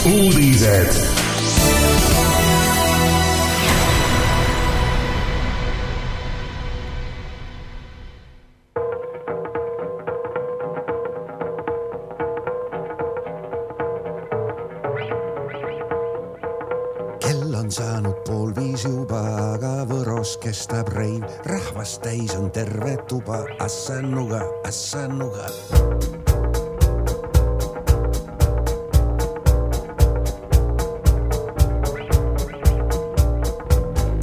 uudised. Kell on saanud 4:30 juba, aga Võros kestab reiv. Rahvast täis on terve tuba, assanuga, assanuga.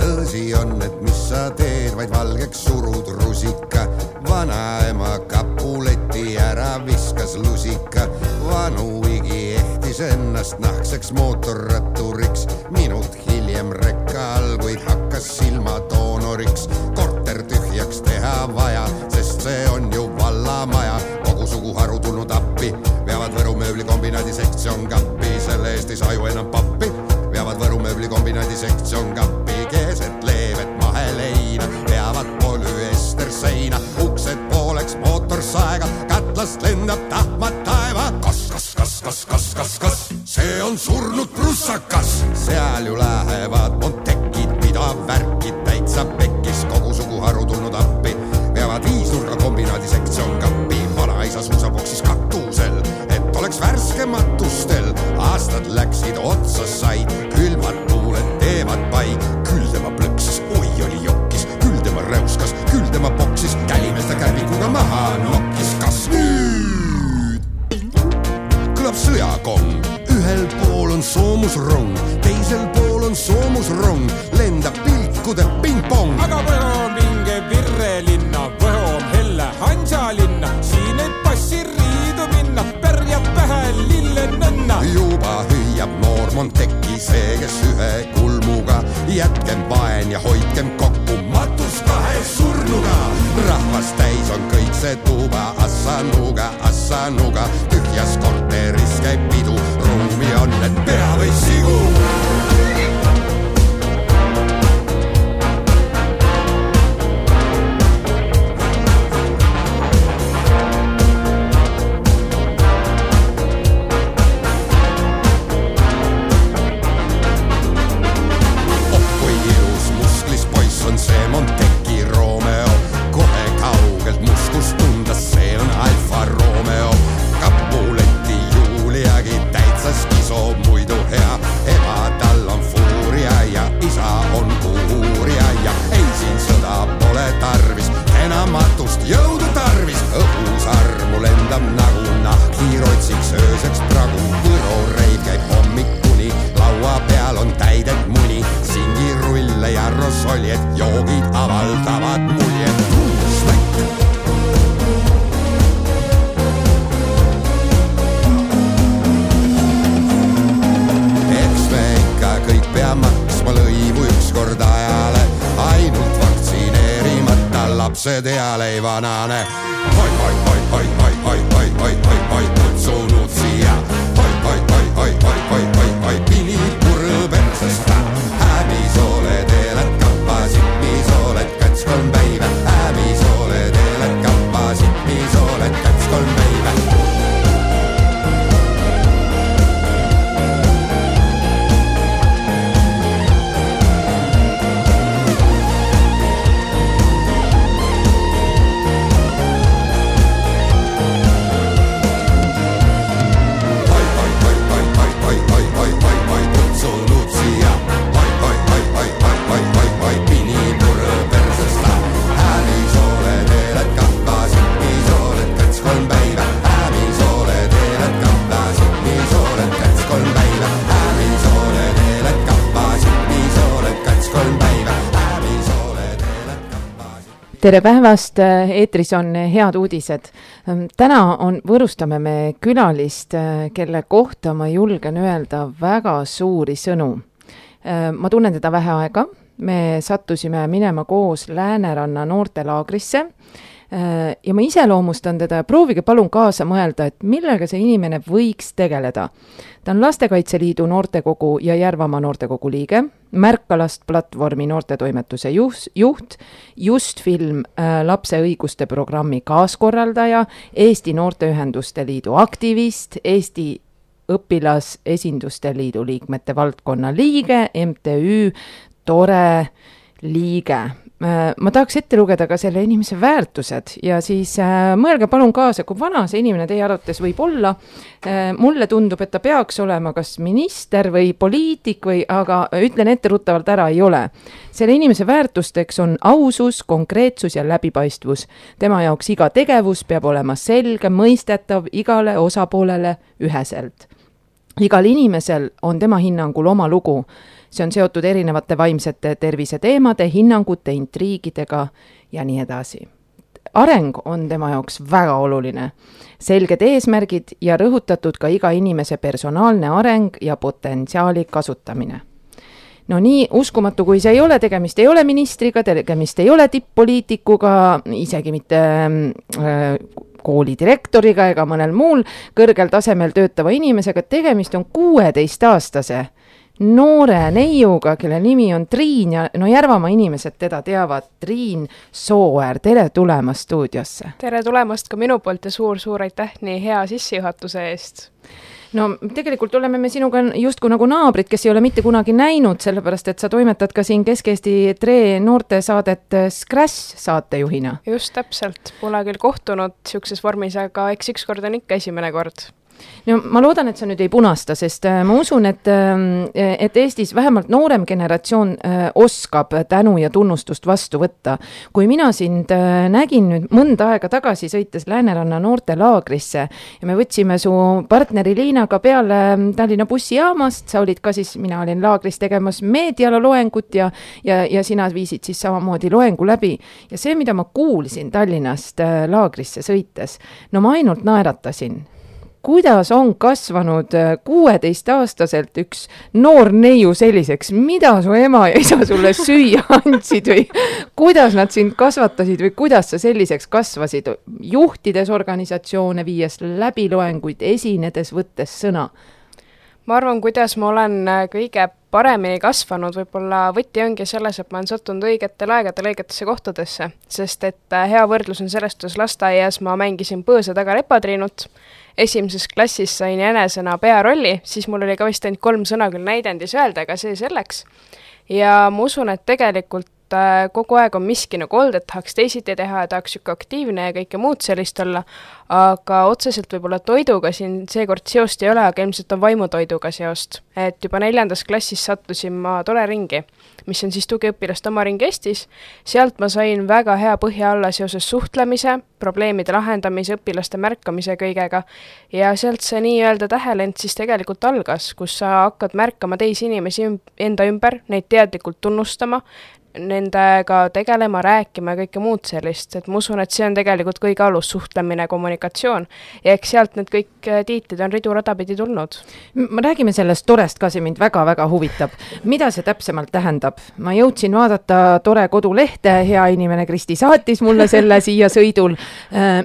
Tõsi on, et mis sa teed, vaid valgeks surud rusika. Vanaema kapuleti ära viskas lusika. Vanu igi ehtis ennast nahkseks mootorratturiks. Minut hiljem rekka all, kuid hakkas silmatoonoriks. Korter tühjaks teha vaja, sest see on ju vallamaja. Kogu suguharu tulnud appi, veavad Võru mööblikombinaadi sektsioon kappi. Selle eest ei saa ju enam pappi, veavad Võru mööblikombinaadi sektsioon kappi. Keeset leevet maheleina, veavad polüester seina. Uksed pooleks mootor saega, katlast lendab tahmad taeva. Kas, see on surnud prussakas. Seal ju lähevad montekid, mida värkid täitsa pekkis. Kogu suguharu tulnud appi, veavad viisnurga kombinaadi sektsioon kappi. Vanaisa suusaboksis katusel, et oleks värske matustel. Aastad läksid, otsa said, külmad tuuled teevad pai. Küll tema plõksis, oi oli jokkis, küll tema räuskas, küll tema boksis. Kälimeeste kärbikuga maha nokkis, kas nüüd? Kõlab sõjakong, ühel pool on soomusrong, teisel pool on soomusrong. Lendab pilkude ping-pong. Aga Võho on vinge Virrelinna, Võho on helle Hansalinna. Siin ei passi riidu minna, pärjab pähe lillenenna. Juba hüüab noor Monteki, see kes ühe kulmuga. Jätkem vaen ja hoidkem kokku, matus kahe surnuga. Rahvas täis on kõik see tuba, assanuga, assanuga. Tühjas korteris käib pidu, ruumi on, et pea või sigu. Jõudu tarvis, õhus armu lendab nagu nahki rotsiks ööseks pragu. Võro reid käib hommikuni, laua peal on täidet muni. Singirulle ja rosoljed, joogid avaldavad muljed. Smäkk! Eks me ikka kõik pea maksma lõivu ükskord ajale. Ainult vaktsineerimata lapsed eal ei vanane. Oi, kutsunud siia. Oi, pini purl persesta. Häbis oled elad kappasid, mis oled kats 3 päivä. Häbis oled elad kappasid, mis oled kats 3 päivä. Tere päevast, eetris on Head uudised. Täna võrustame me külalist, kelle kohta ma julgen öelda väga suuri sõnu. Ma tunnen teda vähe aega, me sattusime minema koos Lääneranna noortelaagrisse ja ma iseloomustan teda ja proovige palun kaasa mõelda, et millega see inimene võiks tegeleda. Ta on Lastekaitse Liidu noortekogu ja Järvamaa noortekogu liige, Märkalast platvormi noortetoimetuse juht, Justfilm lapse õiguste programmi kaaskorraldaja, Eesti Noorteühenduste Liidu aktivist, Eesti õpilasesinduste liidu liikmete valdkonna liige, MTÜ Tore liige. Ma tahaks ette lugeda ka selle inimese väärtused ja siis mõelge palun kaasa, kui vana see inimene teie arvates võib olla. Mulle tundub, et ta peaks olema kas minister või poliitik aga ütlen etteruttavalt ära, ei ole. Selle inimese väärtusteks on ausus, konkreetsus ja läbipaistvus. Tema jaoks iga tegevus peab olema selge, mõistetav igale osapoolele üheselt. Igal inimesel on tema hinnangul oma lugu. See on seotud erinevate vaimsete tervise teemade, hinnangute, intriigidega ja nii edasi. Areng on tema jaoks väga oluline. Selged eesmärgid ja rõhutatud ka iga inimese personaalne areng ja potentsiaali kasutamine. No nii uskumatu, kui see ei ole, tegemist ei ole ministriga, tegemist ei ole tipp-poliitikuga, isegi mitte kooli direktoriga ega mõnel muul kõrgel tasemel töötava inimesega, tegemist on 16-aastase noore neiuga, kelle nimi on Triin ja Järvamaa inimesed teda teavad. Triin Sooäär, tere tulemast stuudiosse. Tere tulemast ka minu poolt ja suur aitäh nii hea sissejuhatuse eest. No tegelikult oleme me sinuga justkui nagu naabrid, kes ei ole mitte kunagi näinud, sellepärast et sa toimetad ka siin Kesk-Eesti Tre noorte saadet Scratch saatejuhina. Just täpselt, pole küll kohtunud siukses vormis, aga eks ükskord on ikka esimene kord. No, ma loodan, et sa nüüd ei punasta, sest ma usun, et Eestis vähemalt noorem generatsioon oskab tänu ja tunnustust vastu võtta. Kui mina sind nägin nüüd mõnda aega tagasi sõites Lääneranna noortelaagrisse ja me võtsime su partneri Liinaga peale Tallinna bussijaamast, sa olid ka siis, mina olin laagris tegemas meediala loengut ja sina viisid siis samamoodi loengu läbi. Ja see, mida ma kuulsin Tallinnast laagrisse sõites, no ma ainult naeratasin. Kuidas on kasvanud 16-aastaselt üks noor neiu selliseks? Mida su ema ja isa sulle süüa andsid või kuidas nad sind kasvatasid või kuidas sa selliseks kasvasid? Juhtides organisatsioone, viies läbiloenguid, esinedes, võttes sõna? Ma arvan, kuidas ma olen kõige paremini kasvanud, võib-olla võti ongi selles, et ma olen sattunud õigetel aegadel õigetesse kohtadesse, sest et hea võrdlus on sellest, kus lasteaias ma mängisin põõsa taga lepatriinut. Esimeses klassis sain jänesena pearolli, siis mul oli ka vist ainult 3 sõna küll näidendis öelda, aga see selleks. Ja ma usun, et tegelikult kogu aeg on miski nagu olnud, et tahaks teisiti teha ja tahaks siuke aktiivne ja kõike muud sellist olla, aga otseselt võib-olla toiduga siin seekord seost ei ole, aga ilmselt on vaimutoiduga seost. Et juba 4. klassis sattusin ma Tore ringi, mis on siis tugiõpilaste oma ring Eestis. Sealt ma sain väga hea põhja alla seoses suhtlemise, probleemide lahendamise, õpilaste märkamise kõigega ja sealt see nii-öelda tähelend siis tegelikult algas, kus sa hakkad märkama teisi inimesi enda ümber, neid teadlikult tunnustama, nendega tegelema, rääkima ja kõike muud sellist, et ma usun, et see on tegelikult kõige alus suhtlemine, kommunikatsioon ja eks sealt need kõik tiitlid on ridurada pidi tulnud. Ma räägime sellest Torest ka, see mind väga-väga huvitab. Mida see täpsemalt tähendab? Ma jõudsin vaadata Tore kodulehte, hea inimene Kristi saatis mulle selle siia sõidul.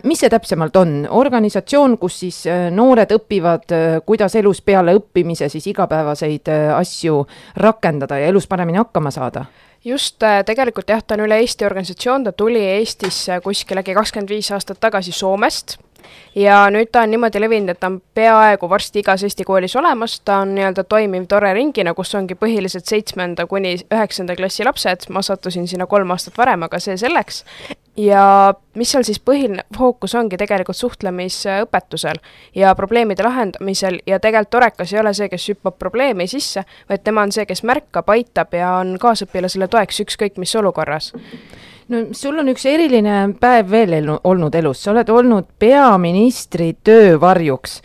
Mis see täpsemalt on? Organisatsioon, kus siis noored õpivad, kuidas elus peale õppimise siis igapäevaseid asju rakendada ja elus paremini hakkama saada? Just, tegelikult jah, ta on üle Eesti organisatsioon, ta tuli Eestisse kuskil 25 aastat tagasi Soomest ja nüüd ta on niimoodi levinud, et ta on peaaegu varsti igas Eesti koolis olemas, ta on nii-öelda toimiv Tore ringina, kus ongi põhiliselt 7. kuni 9. klassi lapsed, ma sattusin sinna 3 aastat varem, aga see selleks. Ja mis seal siis põhiline fookus ongi tegelikult suhtlemisõpetusel ja probleemide lahendamisel ja tegelikult Torekas ei ole see, kes hüppab probleemi sisse, vaid tema on see, kes märkab, aitab ja on kaasõpilasele toeks ükskõik mis olukorras. No, sul on üks eriline päev veel olnud elus, sa oled olnud peaministri töövarjuks.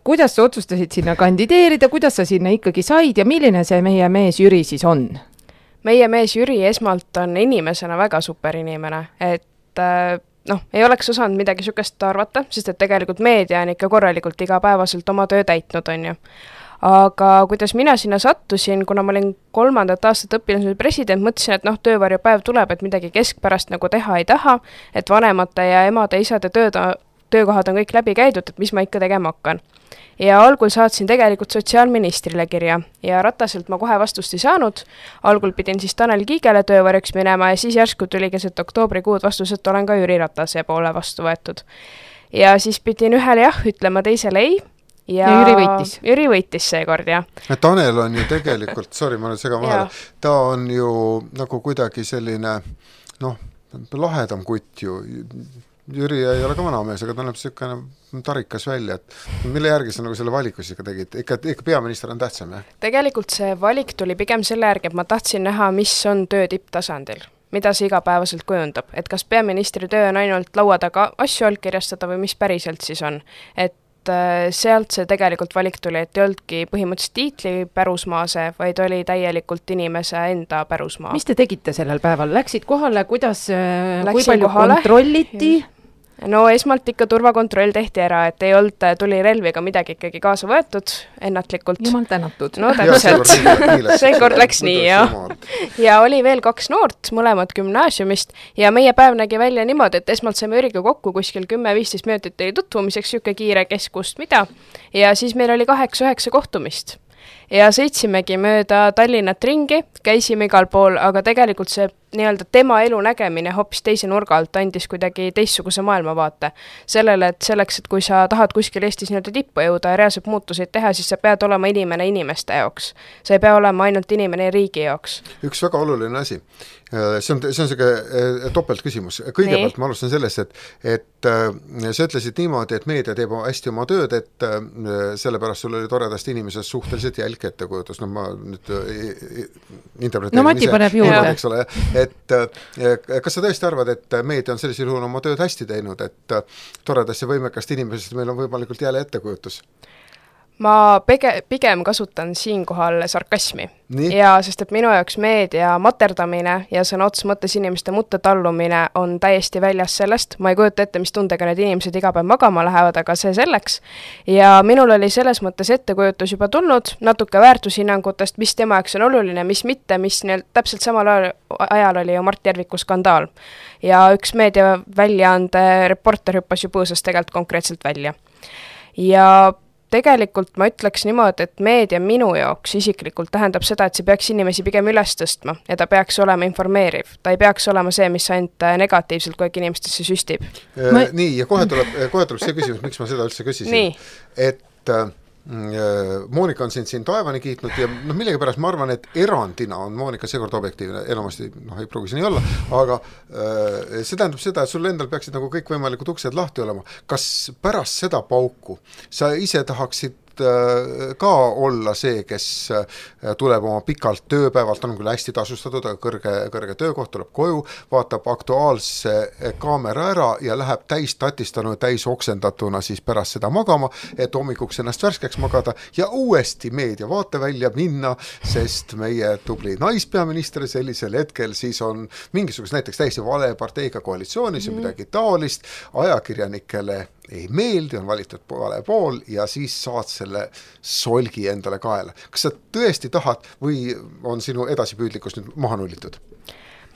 Kuidas sa otsustasid sinna kandideerida, kuidas sa sinna ikkagi said ja milline see meie mees Jüri siis on? Meie mees Jüri esmalt on inimesena väga super inimene, et ei oleks osanud midagi sükest arvata, sest et tegelikult meedia on ikka korralikult igapäevaselt oma töö täitnud, on ju. Aga kuidas mina sinna sattusin, kuna ma olin 3. aastat õpilasel president, mõtlesin, et töövarjupäev tuleb, et midagi keskpärast nagu teha ei taha, et vanemate ja emade, isade töökohad on kõik läbi käidud, et mis ma ikka tegema hakkan. Ja algul saatsin tegelikult sotsiaalministrile kirja ja Rataselt ma kohe vastust ei saanud. Algul pidin siis Tanel Kiigele töövarjuks minema ja siis järsku tuli keset oktoobrikuud vastus, et olen ka Jüri Ratase poole vastu võetud. Ja siis pidin ühele jah ütlema, teisele ei. ja Jüri võitis seekord, jah. Tanel on ju tegelikult, sorry, ma olen segan vahele, ta on ju nagu kuidagi selline, lahedam kutt ju. Jüri ei ole ka vanamees, aga ta näeb selline tarikas välja, et mille järgi sa nagu selle valikus ikka tegid? Ikka peaminister on tähtsam, jah? Tegelikult see valik tuli pigem selle järgi, et ma tahtsin näha, mis on töö tipptasandil, mida see igapäevaselt kujundab, et kas peaministri töö on ainult laua taga asju allkirjastada või mis päriselt siis on, et sealt see tegelikult valik tuli, et ei oldki põhimõtteliselt tiitli pärusmaase, vaid oli täielikult inimese enda pärusmaa. Mis te tegite sellel päeval? Läksid kohale, kuidas, kui palju kontrolliti? No esmalt ikka turvakontroll tehti ära, et ei olnud tulirelviga midagi ikkagi kaasa võetud ennatlikult. Jumal tänatud. No täpselt. Seekord läks nii, jah. Ja oli veel 2 noort, mõlemad gümnaasiumist ja meie päev nägi välja niimoodi, et esmalt saime Jüriga kokku kuskil 10-15 minutit oli tutvumiseks, siuke kiire keskust mida ja siis meil oli 8-9 kohtumist. Ja sõitsimegi mööda Tallinnat ringi, käisime igal pool, aga tegelikult see nii-öelda tema elu nägemine hoopis teise nurga alt andis kuidagi teistsuguse maailmavaate. Sellele, et selleks, et kui sa tahad kuskil Eestis nii-öelda tippu jõuda ja reaalselt muutuseid teha, siis sa pead olema inimene inimeste jaoks. Sa ei pea olema ainult inimene riigi jaoks. Üks väga oluline asi. See on selline topelt küsimus. Kõigepealt ma alustan sellest, et sa ütlesid niimoodi, et meedia teeb hästi oma tööd, et sellepärast sul oli toredast inimesest suhteliselt jälk ettekujutus. No ma nüüd interpreteerin Mati paneb juurde. Eks ole, et kas sa tõesti arvad, et meedia on sellisel juhul oma tööd hästi teinud, et toredast ja võimekast inimesest meil on võimalikult jälle ettekujutus? Ma pigem kasutan siinkohal sarkasmi. Ja sest et minu jaoks meedia materdamine ja sõna otsa mõttes inimeste mutta tallumine on täiesti väljas sellest. Ma ei kujuta ette, mis tundega need inimesed iga päev magama lähevad, aga see selleks. Ja minul oli selles mõttes ettekujutus juba tulnud natuke väärtushinnangutest, mis tema jaoks on oluline, mis mitte, mis täpselt samal ajal oli ju Mart Järviku skandaal. Ja üks meedia väljaande reporter hüppas ju põõsast tegelikult konkreetselt välja. Ja tegelikult ma ütleks niimoodi, et meedia minu jaoks isiklikult tähendab seda, et see peaks inimesi pigem üles tõstma ja ta peaks olema informeeriv. Ta ei peaks olema see, mis ainult negatiivselt kogu inimestesse süstib. Nii, ja kohe tuleb see küsimus, miks ma seda üldse küsisin. Et Moonika on siin taevani kiitnud ja millegipärast ma arvan, et erandina on Moonika seekord objektiivne, enamasti ei pruugi siin ei olla, aga see tähendab seda, et sul endal peaksid nagu kõik võimalikud uksed lahti olema. Kas pärast seda pauku sa ise tahaksid ka olla see, kes tuleb oma pikalt tööpäevalt, on küll hästi tasustatud, aga kõrge töökoht, tuleb koju, vaatab Aktuaalse kaamera ära ja läheb täis tatistanu ja täis oksendatuna siis pärast seda magama, et hommikuks ennast värskeks magada ja uuesti meedia vaatevälja minna, sest meie tubli naispeaminister sellisel hetkel siis on mingisugust näiteks täiesti vale parteiga koalitsioonis ja midagi taolist, ajakirjanikele ei meeldi, on valitud vale pool ja siis saad selle solgi endale kaela. Kas sa tõesti tahad või on sinu edasipüüdlikkus nüüd maha nullitud?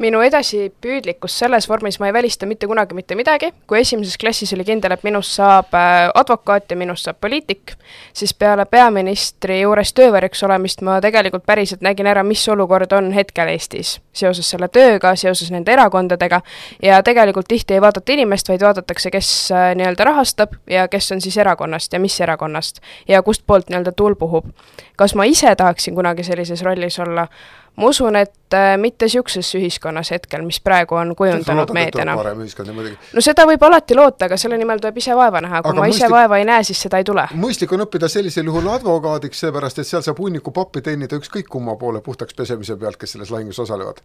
Minu edasipüüdlikkus selles vormis ma ei välista mitte kunagi mitte midagi. Kui esimeses klassis oli kindel, et minust saab advokaat ja minust saab poliitik, siis peale peaministri juures töövärjuks olemist ma tegelikult päriselt nägin ära, mis olukord on hetkel Eestis seoses selle tööga, seoses nende erakondadega ja tegelikult tihti ei vaadata inimest, vaid vaadatakse, kes nii-öelda rahastab ja kes on siis erakonnast ja mis erakonnast ja kust poolt nii-öelda tuul puhub. Kas ma ise tahaksin kunagi sellises rollis olla? Ma usun, et mitte siukses ühiskonnas hetkel, mis praegu on kujundanud meediana. No seda võib alati loota, aga selle nimel tuleb ise vaeva näha. Kui ma ise vaeva ei näe, siis seda ei tule. Mõistlik on õppida sellisel juhul advokaadiks, seepärast, et seal saab hunniku pappi teenida ükskõik kumma poole puhtaks pesemise pealt, kes selles lahingus osalevad.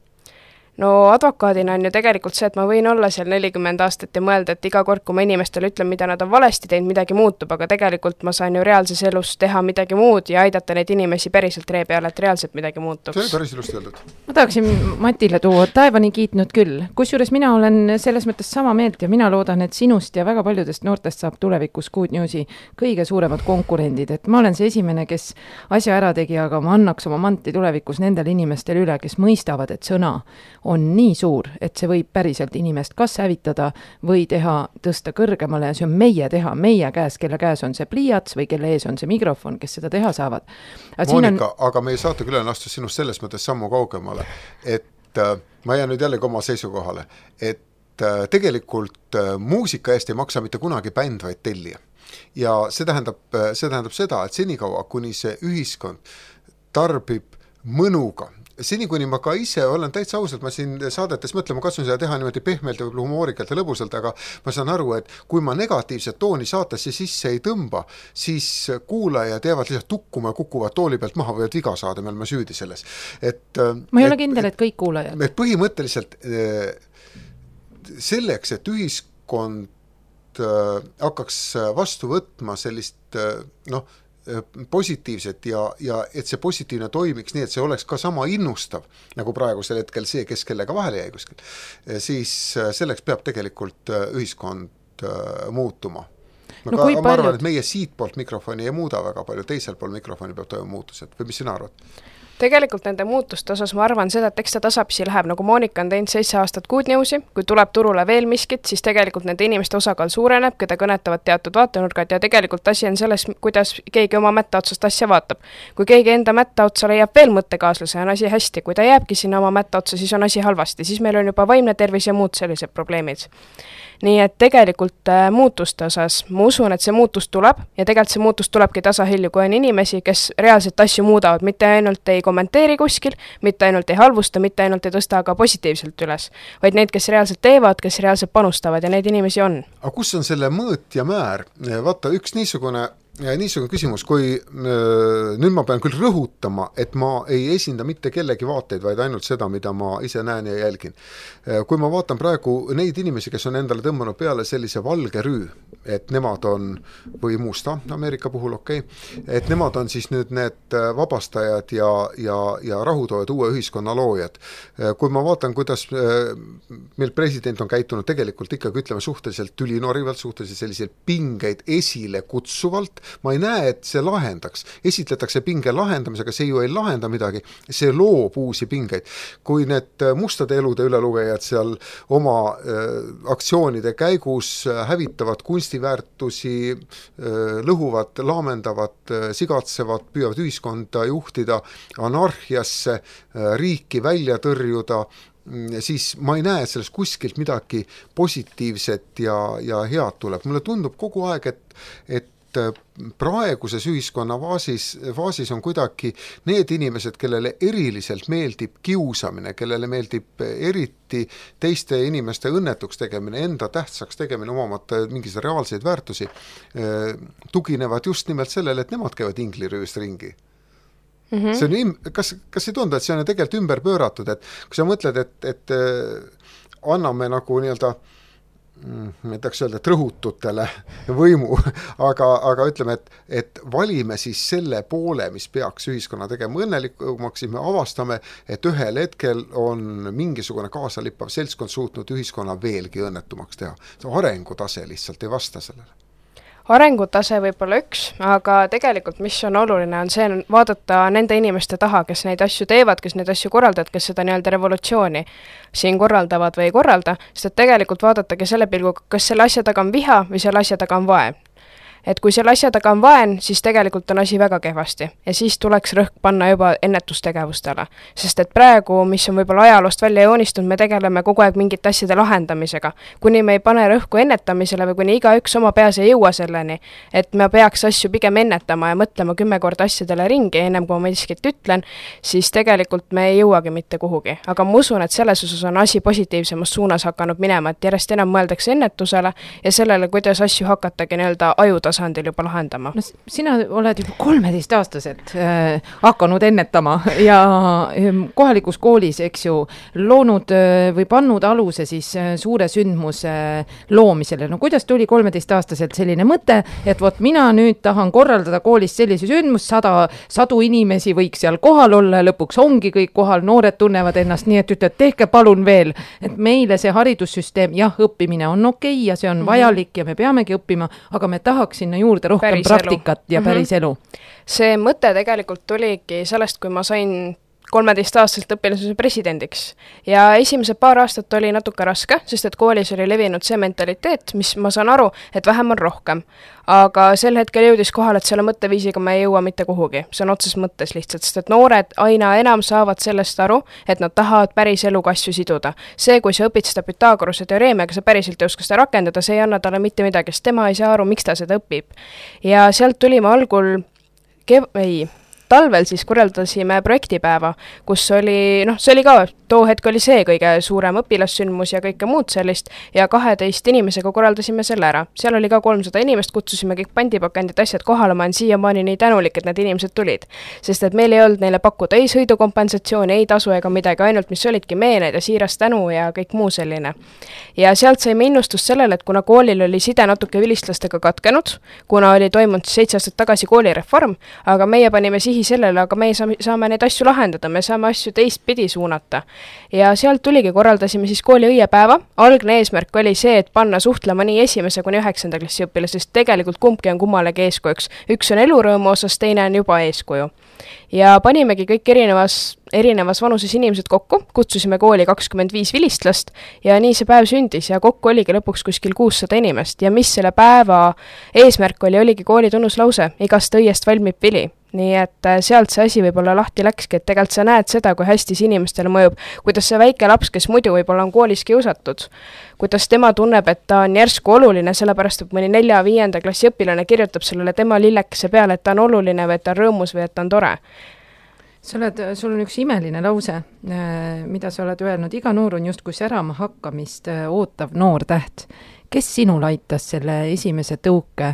No advokaadina on ju tegelikult see, et ma võin olla seal 40 aastat ja mõelda, et iga kord, kui ma inimestele ütlen, mida nad on valesti teinud, midagi muutub, aga tegelikult ma saan ju reaalses elus teha midagi muud ja aidata neid inimesi päriselt ree peale, et reaalselt midagi muutuks. See on päris ilusti öeldud. Ma tahaksin Matile tuua taevani kiitnud küll. Kusjuures mina olen selles mõttes sama meelt ja mina loodan, et sinust ja väga paljudest noortest saab tulevikus Good Newsi kõige suuremad konkurendid. Et ma olen see esimene, kes asja ära tegi, aga ma annaks oma manti tulevikus nendele inimestele üle, kes mõistavad, et sõna on nii suur, et see võib päriselt inimest kas hävitada või tõsta kõrgemale ja see on meie teha, meie käes, kelle käes on see pliiats või kelle ees on see mikrofon, kes seda teha saavad. Moonika, aga meie saatekülaline astus sinust selles mõttes sammu kaugemale, et ma jään nüüd jällegi oma seisukohale, et tegelikult muusika eest ei maksa mitte kunagi bänd, vaid tellija. ja see tähendab seda, et senikaua, kuni see ühiskond tarbib mõnuga, seni kuni ma ka ise olen täitsa ausalt, ma siin saadetes mõtlema katsun seda teha niimoodi pehmelt ja humoorikalt ja lõbusalt, aga ma saan aru, et kui ma negatiivset tooni saatesse sisse ei tõmba, siis kuulajad jäävad lihtsalt tukkuma ja kukuvad tooli pealt maha, võivad viga saada, me oleme süüdi selles. Ma ei ole kindel, et kõik kuulajad. Et põhimõtteliselt selleks, et ühiskond hakkaks vastu võtma sellist positiivset ja et see positiivne toimiks nii, et see oleks ka sama innustav, nagu praegusel hetkel see, kes kellega vahele jäi kuskil, siis selleks peab tegelikult ühiskond muutuma. Ma arvan, et meie siit poolt mikrofoni ei muuda väga palju, teisel pool mikrofoni peab toimuma muutused, või mis sina arvad? Tegelikult nende muutuste osas ma arvan seda, et eks ta tasapisi läheb, nagu Monika on teinud 7 aastat Good Newsi, kui tuleb turule veel miskit, siis tegelikult nende inimeste osakaal suureneb, keda kõnetavad teatud vaatenurgad ja tegelikult asi on selles, kuidas keegi oma mätta otsast asja vaatab. Kui keegi enda mätta otsa leiab veel mõttekaaslase, on asi hästi, kui ta jääbki sinna oma mätta otsa, siis on asi halvasti, siis meil on juba vaimne tervis ja muud sellised probleemid. Nii et tegelikult muutuste osas ma usun, et see muutus tuleb ja tegelikult see muutus tulebki tasahilju, kui on inimesi, kes reaalselt asju muudavad, mitte ainult ei kommenteeri kuskil, mitte ainult ei halvusta, mitte ainult ei tõsta aga positiivselt üles, vaid neid, kes reaalselt teevad, kes reaalselt panustavad ja neid inimesi on. Aga kus on selle mõõt ja määr? Vaata, üks niisugune küsimus, kui nüüd ma pean küll rõhutama, et ma ei esinda mitte kellegi vaateid, vaid ainult seda, mida ma ise näen ja jälgin. Kui ma vaatan praegu neid inimesi, kes on endale tõmmanud peale sellise valge rüü, et nemad on, või musta Ameerika puhul, et nemad on siis nüüd need vabastajad ja rahutoojad, uue ühiskonna loojad. Kui ma vaatan, kuidas meil president on käitunud tegelikult ikkagi, ütleme, suhteliselt ülinorivalt, suhteliselt selliseid pingeid esile kutsuvalt, ma ei näe, et see lahendaks. Esitletakse pinge lahendamisega, see ju ei lahenda midagi, see loob uusi pingeid. Kui need mustade elude ülelugejad seal oma aktsioonide käigus hävitavad kunstiväärtusi, lõhuvad, laamendavad, sigatsevad, püüavad ühiskonda juhtida anarhiasse, riiki välja tõrjuda, siis ma ei näe, et sellest kuskilt midagi positiivset ja head tuleb. Mulle tundub kogu aeg, et praeguses ühiskonna faasis on kuidagi need inimesed, kellele eriliselt meeldib kiusamine, kellele meeldib eriti teiste inimeste õnnetuks tegemine, enda tähtsaks tegemine, omamata mingis reaalseid väärtusi, tuginevad just nimelt sellele, et nemad käivad inglirüüst ringi. See on, kas ei tundu, et see on tegelikult ümber pööratud, et kui sa mõtled, et anname nagu nii-öelda ma ei tahaks öelda, et rõhututele võimu, aga ütleme, et valime siis selle poole, mis peaks ühiskonna tegema õnnelikumaks, siis me avastame, et ühel hetkel on mingisugune kaasalippav seltskond suutnud ühiskonna veelgi õnnetumaks teha. See arengutase lihtsalt ei vasta sellele. Arengutase võib olla üks, aga tegelikult mis on oluline, on see vaadata nende inimeste taha, kes neid asju teevad, kes neid asju korraldavad, kes seda nii-öelda revolutsiooni siin korraldavad või ei korralda, sest et tegelikult vaadatagi selle pilguga, kas selle asja taga on viha või selle asja taga on vaen. Et kui selle asja taga on vaen, siis tegelikult on asi väga kehvasti ja siis tuleks rõhk panna juba ennetustegevustele. Sest et praegu, mis on võib-olla ajaloost välja joonistunud, me tegeleme kogu aeg mingite asjade lahendamisega. Kuni me ei pane rõhku ennetamisele või kuni igaüks oma peas ei jõua selleni, et me peaks asju pigem ennetama ja mõtlema 10 korda asjadele ringi, ennem kui ma miskit ütlen, siis tegelikult me ei jõuagi mitte kuhugi. Aga ma usun, et selles osas on asi positiivsemas suunas hakanud minema, et järjest enam mõeldakse ennetusele ja sellele, kuidas asju hakatagi nii-öelda ajutasandil juba lahendama. No, sina oled juba 13-aastaselt hakanud ennetama ja kohalikus koolis, eks ju, loonud või pannud aluse siis suure sündmuse loomisele. No kuidas tuli 13-aastaselt selline mõte, et vot mina nüüd tahan korraldada koolis sellise sündmus, 100 inimesi võiks seal kohal olla, lõpuks ongi kõik kohal, noored tunnevad ennast nii, et ütled, tehke palun veel, et meile see haridussüsteem, jah, õppimine on okei ja see on vajalik ja me peamegi õppima, aga me tahaks sinna juurde rohkem praktikat ja päris elu. See mõte tegelikult tuligi sellest, kui ma sain 13-aastaselt õpilasuse presidendiks ja esimesed paar aastat oli natuke raske, sest et koolis oli levinud see mentaliteet, mis ma saan aru, et vähem on rohkem. Aga sel hetkel jõudis kohal, et selle mõtteviisiga me ei jõua mitte kuhugi. See on otses mõttes lihtsalt, sest et noored aina enam saavad sellest aru, et nad tahavad päris eluga asju siduda. See, kui sa õpid seda Pythagorase teoreemiaga, sa päriselt ei oska seda rakendada, see ei anna talle mitte midagi, sest tema ei saa aru, miks ta seda õpib. Ja sealt tulime algul talvel siis korraldasime projektipäeva, kus oli, see oli ka, too hetk oli see kõige suurem õpilassündmus ja kõike muud sellist ja 12 inimesega korraldasime selle ära. Seal oli ka 300 inimest, kutsusime kõik pandipakendid asjad kohale, ma olen siiamaani nii tänulik, et need inimesed tulid. Sest et meil ei olnud neile pakkuda ei sõidukompensatsiooni, ei tasu ega midagi, ainult mis olidki meened ja siiras tänu ja kõik muu selline. Ja sealt saime innustust sellele, et kuna koolil oli side natuke vilistlastega katkenud, kuna oli toimunud 7 aastat tagasi koolireform, aga meie panime sellele, aga me saame neid asju lahendada, me saame asju teistpidi suunata. Ja sealt tuligi, korraldasime siis kooli õiepäeva. Algne eesmärk oli see, et panna suhtlema nii 1. kuni 9. klassi õpilasest, tegelikult kumbki on kummalegi eeskujuks. Üks on elurõõmu osas, teine on juba eeskuju. Ja panimegi kõik erinevas vanuses inimesed kokku, kutsusime kooli 25 vilistlast ja nii see päev sündis ja kokku oligi lõpuks kuskil 600 inimest ja mis selle päeva eesmärk oligi kooli tunnuslause, igast õiest valmib vili. Nii et sealt see asi võib-olla lahti läkski, et tegelikult sa näed seda, kui hästi see inimestele mõjub, kuidas see väike laps, kes muidu võib-olla on koolis kiusatud, kuidas tema tunneb, et ta on järsku oluline, sellepärast et mõni 4-5. klassi õpilane kirjutab sellele tema lillekese peale, et ta on oluline või et ta on rõõmus või et ta on tore. Sul on üks imeline lause, mida sa oled öelnud, iga noor on justkui särama hakkamist ootav noor täht. Kes sinul aitas selle esimese tõuke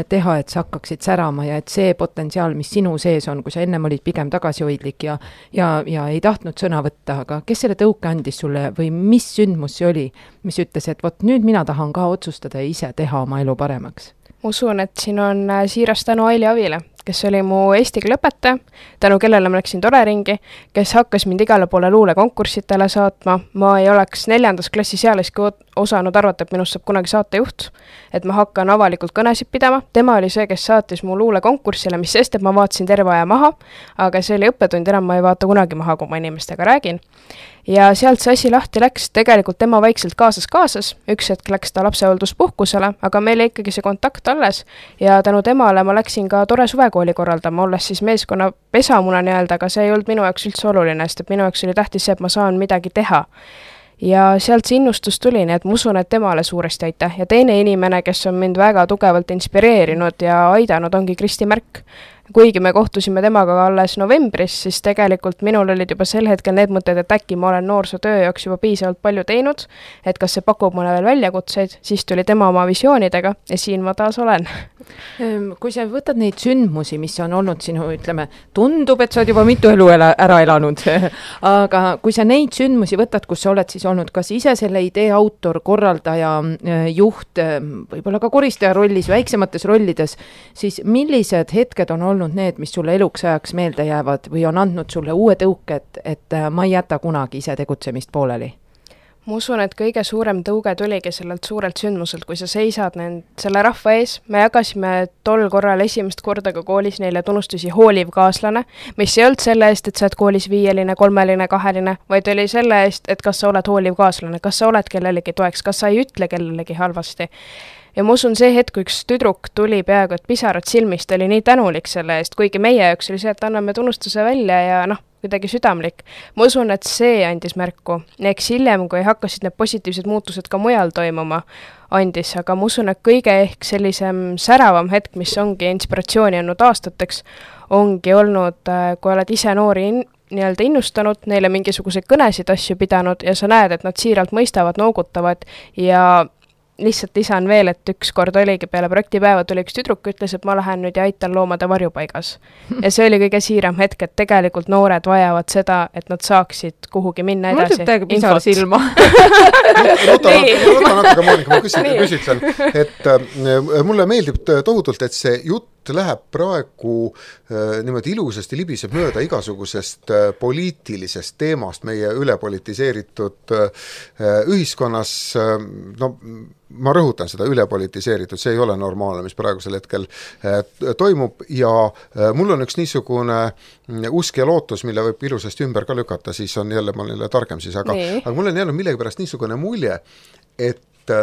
teha, et sa hakkaksid särama ja et see potentsiaal, mis sinu sees on, kui sa ennem olid pigem tagasihoidlik ja ei tahtnud sõna võtta, aga kes selle tõuke andis sulle või mis sündmus see oli, mis ütles, et vot nüüd mina tahan ka otsustada ja ise teha oma elu paremaks? Usun, et siin on siiras tänu Aili Avile, kes oli mu eesti keele õpetaja, tänu kellele ma läksin tore ringi, kes hakkas mind igale poole luulekonkursitele saatma. Ma ei oleks 4. klassis ealiski osanud arvata, et minust saab kunagi saatejuht, et ma hakkan avalikult kõnesid pidama. Tema oli see, kes saatis mu luulekonkursile, mis sest, et ma vaatasin terve aja maha, aga see oli õppetund, enam ma ei vaata kunagi maha, kui ma inimestega räägin. Ja sealt see asi lahti läks, tegelikult tema vaikselt kaasas, üks hetk läks ta lapsehoolduspuhkusele, aga meil oli ikkagi see kontakt alles ja tänu temale ma läksin ka tore suvekooli korraldama, olles siis meeskonna pesamuna nii-öelda, aga see ei olnud minu jaoks üldse oluline, sest et minu jaoks oli tähtis see, et ma saan midagi teha. Ja sealt see innustus tuli, nii et ma usun, et temale suuresti aitäh. Ja teine inimene, kes on mind väga tugevalt inspireerinud ja aidanud, ongi Kristi Märk. Kuigi me kohtusime temaga alles novembris, siis tegelikult minul olid juba sel hetkel need mõtted, et äkki ma olen noorsootöö jaoks juba piisavalt palju teinud, et kas see pakub mulle veel väljakutseid, siis tuli tema oma visioonidega ja siin ma taas olen. Kui sa võtad neid sündmusi, mis on olnud sinu, ütleme, tundub, et sa oled juba mitu elu ära elanud, aga kui sa neid sündmusi võtad, kus sa oled siis olnud kas ise selle idee autor, korraldaja, juht, võib-olla ka koristaja rollis, väiksemates rollides, siis millised hetked on olnud need, mis sulle eluks ajaks meelde jäävad või on andnud sulle uue tõuke, et ma ei jäta kunagi ise tegutsemist pooleli? Ma usun, et kõige suurem tõuge tuligi sellelt suurelt sündmuselt, kui sa seisad selle rahva ees. Me jagasime tol korral esimest korda ka koolis neile tunnustusi hooliv kaaslane, mis ei olnud selle eest, et sa oled koolis 5, 3, 2, vaid oli selle eest, et kas sa oled hooliv kaaslane, kas sa oled kellelegi toeks, kas sa ei ütle kellelegi halvasti. Ja ma usun see hetk, kui üks tüdruk tuli peaaegu, et pisarad silmist, oli nii tänulik selle eest, kuigi meie jaoks oli see, et anname tunnustuse välja ja kuidagi südamlik. Ma usun, et see andis märku. Eks hiljem, kui hakkasid need positiivsed muutused ka mujal toimuma, andis, aga ma usun, et kõige ehk sellisem säravam hetk, mis ongi inspiratsiooni andnud aastateks, ongi olnud, kui oled ise noori nii-öelda innustanud, neile mingisuguseid kõnesid asju pidanud ja sa näed, et nad siiralt mõistavad, noogutavad ja lihtsalt lisan veel, et üks kord oligi peale projektipäeva tuli üks tüdruk, ütles, et ma lähen nüüd ja aitan loomade varjupaigas. Ja see oli kõige siiram hetk, et tegelikult noored vajavad seda, et nad saaksid kuhugi minna edasi. Mul täiega pisar silma. Ruta natuke, Moonika, ma küsitlen, et mulle meeldib tohutult, et see jutt läheb praegu niimoodi ilusasti libiseb mööda igasugusest poliitilisest teemast meie ülepolitiseeritud ühiskonnas, no ma rõhutan seda ülepolitiseeritud, see ei ole normaalne, mis praegusel hetkel toimub ja mul on üks niisugune usk ja lootus, mille võib ilusasti ümber ka lükata, siis on jälle, ma olen jälle targem siis, aga mul on jäänud millegipärast niisugune mulje, et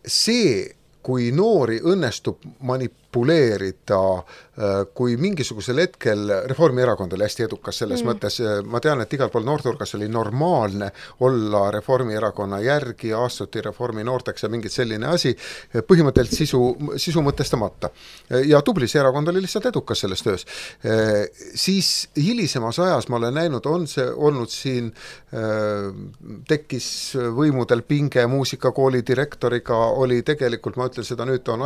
see, kui noori õnnestub manipuleerida, kui mingisugusel hetkel Reformierakond oli hästi edukas selles mõttes, ma tean, et igal pool noorturgas oli normaalne olla Reformierakonna järgi, astuti Reformi noorteks ja mingit selline asi, põhimõtteliselt sisu mõtestamata. Ja Tublis erakond oli lihtsalt edukas selles töös. Siis hilisemas ajas ma olen näinud, on see olnud siin, tekkis võimudel pinge muusikakooli direktoriga, oli tegelikult, ma ütlen seda nüüd, on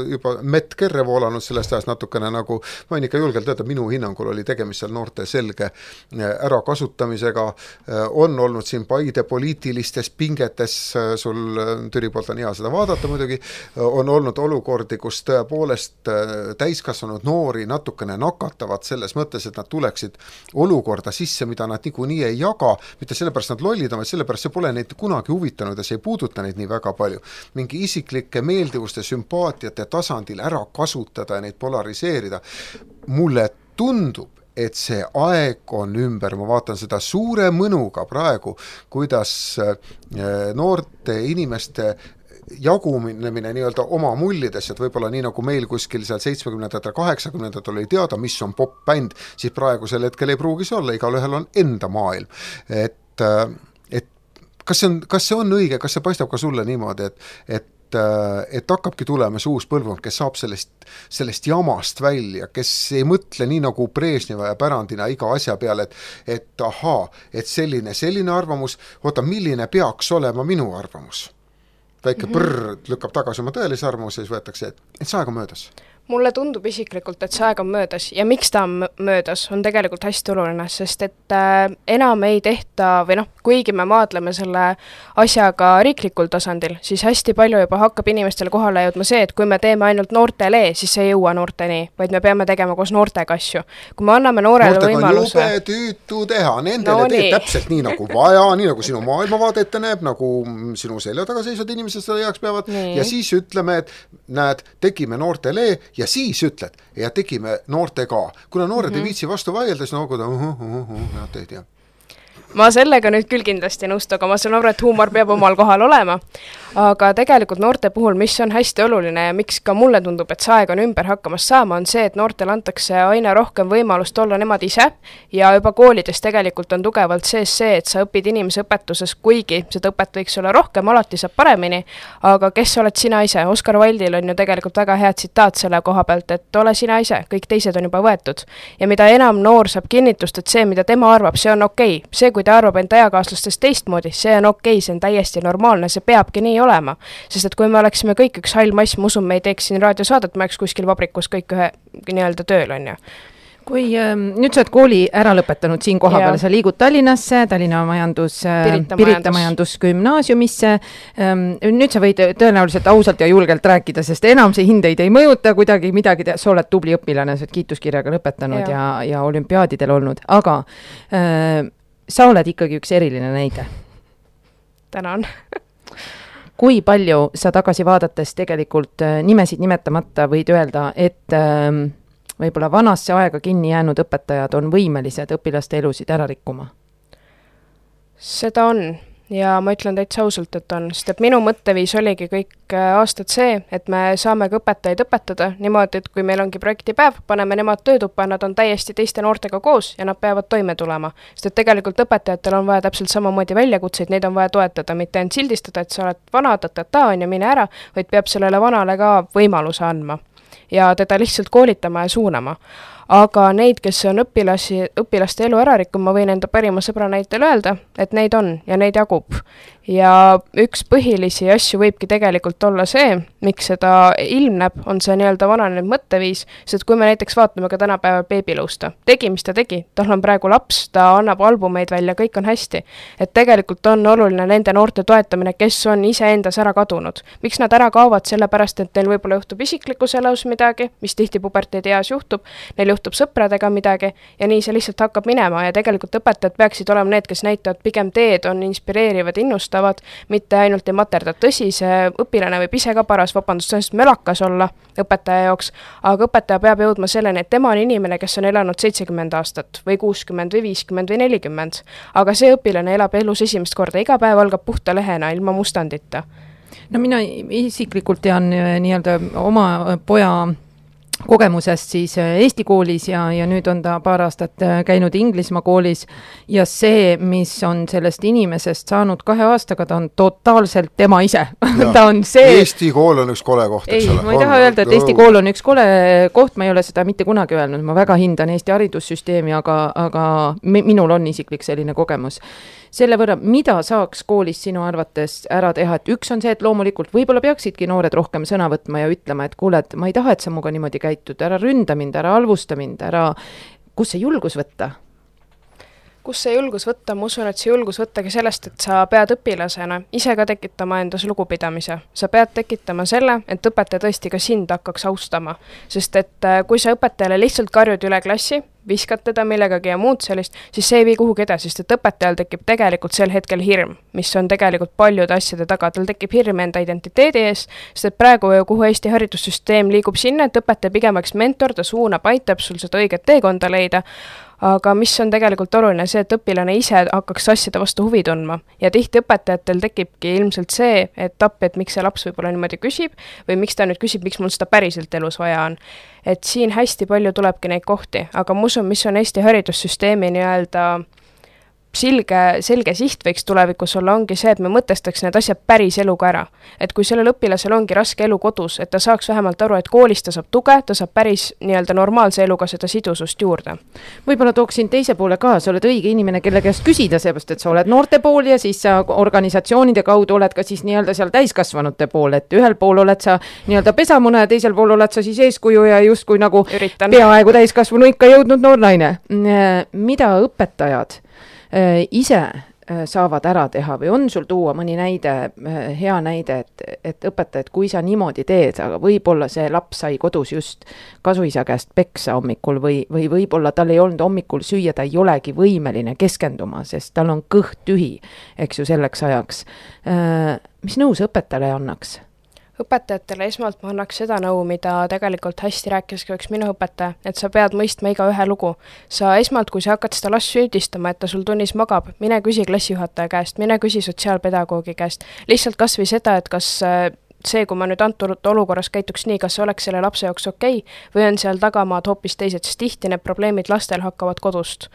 juba Mett Kerre voolanud sellest ajast natukene nagu, ma võin ikka julgelt öelda, minu hinnangul oli tegemist seal noorte selge ärakasutamisega, on olnud siin Paide poliitilistes pingetes, sul Türi poolt on hea seda vaadata muidugi, on olnud olukordi, kus tõepoolest täiskasvanud noori natukene nakatavad selles mõttes, et nad tuleksid olukorda sisse, mida nad niikuinii ei jaga, mitte sellepärast nad lollid on, vaid sellepärast see pole neid kunagi huvitanud ja see ei puuduta neid nii väga palju. Mingi isiklike meeldivuste, sümpaatiate tasandil ära kasutada ja neid polariseerida. Mulle tundub, et see aeg on ümber, ma vaatan seda suure mõnuga praegu, kuidas noorte inimeste jagunemine nii-öelda oma mullides, et võib-olla nii nagu meil kuskil seal 70-ndatel, 80-ndatel oli teada, mis on pop-bänd, siis praegusel hetkel ei pruugis olla, igalühel on enda maailm. Et kas see on õige, kas see paistab ka sulle niimoodi, et hakkabki tulema see uus põlvkond, kes saab sellest jamast välja, kes ei mõtle nii nagu Brežneva ja pärandina iga asja peale, et ahaa, et selline arvamus, oota, milline peaks olema minu arvamus? Väike lükkab tagasi oma tõelise arvamuse, siis võetakse, et see aeg on möödas. Mulle tundub isiklikult, et see aeg on möödas ja miks ta on möödas, on tegelikult hästi oluline, sest et enam ei tehta, või kuigi me maadleme selle asjaga riiklikul tasandil, siis hästi palju juba hakkab inimestele kohale jõudma see, et kui me teeme ainult noortele, siis ei jõua noorteni, vaid me peame tegema koos noortega asju. Kui me anname noorele võimaluse... Noortega on jube tüütu teha, nendele teed täpselt nii nagu vaja, nii nagu sinu maailmavaade ette näeb, nagu sinu selja taga seisvad inimesed seda heaks peavad ja siis ütleme, et näed, tegime noortele ja siis ütled, ja tegime noorte ka. Kuna noored ei viitsi vastu vaielda, siis nooguda, teed jah. Ma sellega nüüd küll kindlasti nõustu, aga ma saan aru, et huumor peab omal kohal olema. Aga tegelikult noorte puhul, mis on hästi oluline ja miks ka mulle tundub, et see aeg on ümber hakkamas saama, on see, et noortele antakse aina rohkem võimalust olla nemad ise ja juba koolides tegelikult on tugevalt sees see, et sa õpid inimese õpetuses, kuigi seda õpet võiks olla rohkem, alati saab paremini, aga kes oled sina ise? Oskar Wildil on ju tegelikult väga hea tsitaat selle koha pealt, et ole sina ise, kõik teised on juba võetud. Ja mida enam noor saab kinnitust, et see, mida tema arvab, see on okei. See, kui ta arvab enda eakaaslastest teistmoodi, see on okei, see on täiesti normaalne, see peabki nii olema. Sest et kui me oleksime kõik üks hall mass, ma usun, me ei teeks siin raadiosaadet, me oleks kuskil vabrikus kõik ühe nii-öelda tööl, on ju. Kui nüüd sa oled kooli ära lõpetanud siin koha peal, sa liigud Tallinnasse, Tallinna Pirita majandusgümnaasiumisse, nüüd sa võid tõenäoliselt ausalt ja julgelt rääkida, sest enam see hindeid ei mõjuta kuidagi midagi, sa oled tubli õpilane, sa oled kiituskirjaga lõpetanud ja olümpiaadidel olnud, aga sa oled ikkagi üks eriline näide. Tänan. Kui palju sa tagasi vaadates tegelikult nimesid nimetamata võid öelda, et võib-olla vanasse aega kinni jäänud õpetajad on võimelised õpilaste elusid ära rikkuma? Seda on ja ma ütlen täitsa ausalt, et on, sest et minu mõtteviis oligi kõik aastad see, et me saame ka õpetajaid õpetada niimoodi, et kui meil ongi projektipäev, paneme nemad töötuppa, nad on täiesti teiste noortega koos ja nad peavad toime tulema. Sest et tegelikult õpetajatel on vaja täpselt samamoodi väljakutseid, neid on vaja toetada, mitte ainult sildistada, et sa oled vana, on ja mine ära, vaid peab sellele vanale ka võimaluse andma ja teda lihtsalt koolitama ja suunama. aga neid, kes on õpilaste elu ära rikkunud, ma võin enda parima sõbra näitel öelda, et neid on ja neid jagub. Ja üks põhilisi asju võibki tegelikult olla see, miks seda ilmneb, on see nii-öelda vananenud mõtteviis, sest kui me näiteks vaatame ka tänapäeval beebilõusta, tegi, mis ta tegi, tal on praegu laps, ta annab albumeid välja, kõik on hästi. Et tegelikult on oluline nende noorte toetamine, kes on iseendas ära kadunud. Miks nad ära kaovad? Sellepärast, et neil võib-olla juhtub isiklikus elus midagi, mis tihti puberteedi eas juhtub, neil juhtub sõpradega midagi ja nii see lihtsalt hakkab minema ja tegelikult õpetajad peaksid olema need, kes näitavad pigem teed, on inspireerivad, innustavad, mitte ainult ei materda. Tõsi, see õpilane võib ise ka paras, vabandust, mölakas olla õpetaja jaoks, aga õpetaja peab jõudma selleni, et tema on inimene, kes on elanud 70 aastat või 60 või 50 või 40, aga see õpilane elab elus esimest korda, iga päev algab puhta lehena, ilma mustandita. No mina isiklikult tean nii-öelda oma poja kogemusest siis Eesti koolis ja nüüd on ta paar aastat käinud Inglismaa koolis ja see, mis on sellest inimesest saanud 2 aastaga, ta on totaalselt tema ise. Ta on see... Eesti kool on üks kole koht, eks ole. Ma ei taha öelda, et Eesti kool on üks kole koht, ma ei ole seda mitte kunagi öelnud, ma väga hindan Eesti haridussüsteemi, aga minul on isiklik selline kogemus. Selle võrra, mida saaks koolis sinu arvates ära teha, et üks on see, et loomulikult võib-olla peaksidki noored rohkem sõna võtma ja ütlema, et kuule, et ma ei taha, et sa muga niimoodi käitud, ära ründa mind, ära halvusta mind, kus see julgus võtta? Kus see julgus võtta? Ma usun, et see julgus võttagi sellest, et sa pead õpilasena ise ka tekitama endas lugupidamise. Sa pead tekitama selle, et õpetaja tõesti ka sind hakkaks austama. Sest et kui sa õpetajale lihtsalt karjud üle klassi, viskad teda millegagi ja muud sellist, siis see ei vii kuhugi edasi, sest et õpetajal tekib tegelikult sel hetkel hirm, mis on tegelikult paljude asjade taga. Tal tekib hirm enda identiteedi ees, sest et praegu kuhu Eesti haridussüsteem liigub sinna, et õpetaja pigemaks mentor, ta suunab, aitab sul seda õiget teekonda leida, aga mis on tegelikult oluline, see, et õpilane ise hakkaks asjade vastu huvi tundma. Ja tihti õpetajatel tekibki ilmselt see etapp, et miks see laps võib-olla niimoodi küsib või miks ta nüüd küsib, miks mul seda päriselt elus vaja on. Et siin hästi palju tulebki neid kohti, aga ma usun, mis on Eesti haridussüsteemi nii-öelda selge siht võiks tulevikus olla, ongi see, et me mõtestaks need asjad päris eluga ära. Et kui sellel õpilasel ongi raske elu kodus, et ta saaks vähemalt aru, et koolis ta saab tuge, ta saab päris nii-öelda normaalse eluga seda sidusust juurde. Võib-olla tooksin teise poole ka, sa oled õige inimene, kelle käest küsida, seepärast, et sa oled noorte pool ja siis sa organisatsioonide kaudu oled ka siis nii-öelda seal täiskasvanute pool, et ühel pool oled sa nii-öelda pesamuna ja teisel pool oled sa siis eeskuju ja justkui nagu peaaegu täiskasvanu ikka jõudnud noor naine. Mida õpetajad ise saavad ära teha või on sul tuua mõni näide, hea näide, et õpetajad, kui sa niimoodi teed, aga võib-olla see laps sai kodus just kasuisa käest peksa hommikul või võib-olla tal ei olnud hommikul süüa, ta ei olegi võimeline keskenduma, sest tal on kõht tühi, eks ju, selleks ajaks. Mis nõu sa õpetajale annaks? Õpetajatele esmalt ma annaks seda nõu, mida tegelikult hästi rääkis ka üks minu õpetaja, et sa pead mõistma iga ühe lugu. Sa esmalt, kui sa hakkad seda last süüdistama, et ta sul tunnis magab, mine küsi klassijuhataja käest, mine küsi sotsiaalpedagoogi käest. Lihtsalt kas või seda, et kas see, kui ma nüüd antud olukorras käituks nii, kas see oleks selle lapse jaoks okei, või on seal tagamaad hoopis teised, sest tihti need probleemid lastel hakkavad kodust.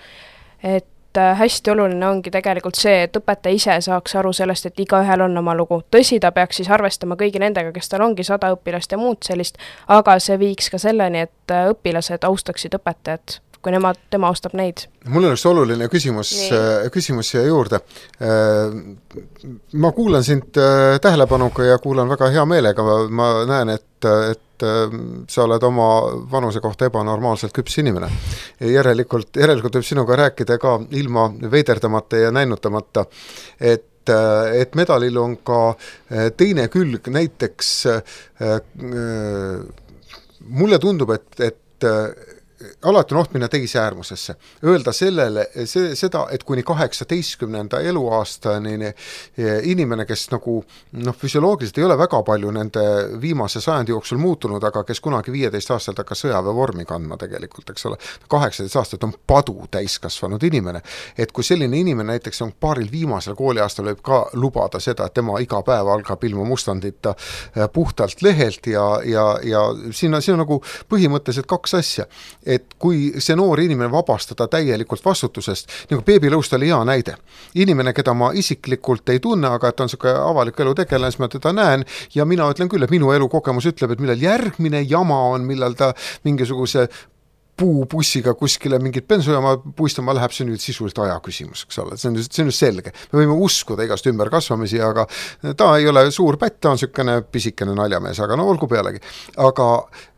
Et hästi oluline ongi tegelikult see, et õpetaja ise saaks aru sellest, et igaühel on oma lugu. Tõsi, ta peaks siis arvestama kõigi nendega, kes tal ongi 100 õpilast ja muud sellist, aga see viiks ka selleni, et õpilased austaksid õpetajat, kui tema austab neid. Mul on üks oluline küsimus siia juurde. Ma kuulan sind tähelepanuga ja kuulan väga hea meelega. Ma näen, et sa oled oma vanuse kohta ebanormaalselt küps inimene. Järelikult võib sinuga rääkida ka ilma veiderdamata ja näinutamata, et medalil on ka teine külg, näiteks mulle tundub, et alati on oht minna teise äärmusesse. Öelda seda, et kuni 18. eluaastani inimene, kes nagu füsioloogiliselt ei ole väga palju nende viimase sajandi jooksul muutunud, aga kes kunagi 15 aastalt hakkas sõjaväevormi kandma tegelikult, eks ole, 18 aastat on padu täiskasvanud inimene. Et kui selline inimene näiteks on paaril viimasel kooliaastal võib ka lubada seda, et tema iga päev algab ilma mustandita puhtalt lehelt ja siin on nagu põhimõtteliselt 2 asja. Et kui see noor inimene vabastada täielikult vastutusest, nagu beebilõust oli hea näide. Inimene, keda ma isiklikult ei tunne, aga et on selline avalik elu tegelane, siis ma teda näen ja mina ütlen küll, et minu elukogemus ütleb, et millal järgmine jama on, millal ta mingisuguse puubussiga kuskile mingit bensujaama puistama läheb, see on nüüd sisuliselt aja küsimus, eks ole, see on just selge. Me võime uskuda igast ümberkasvamisi, aga ta ei ole suur pätt, ta on sükene pisikene naljamees, aga no olgu pealegi. Aga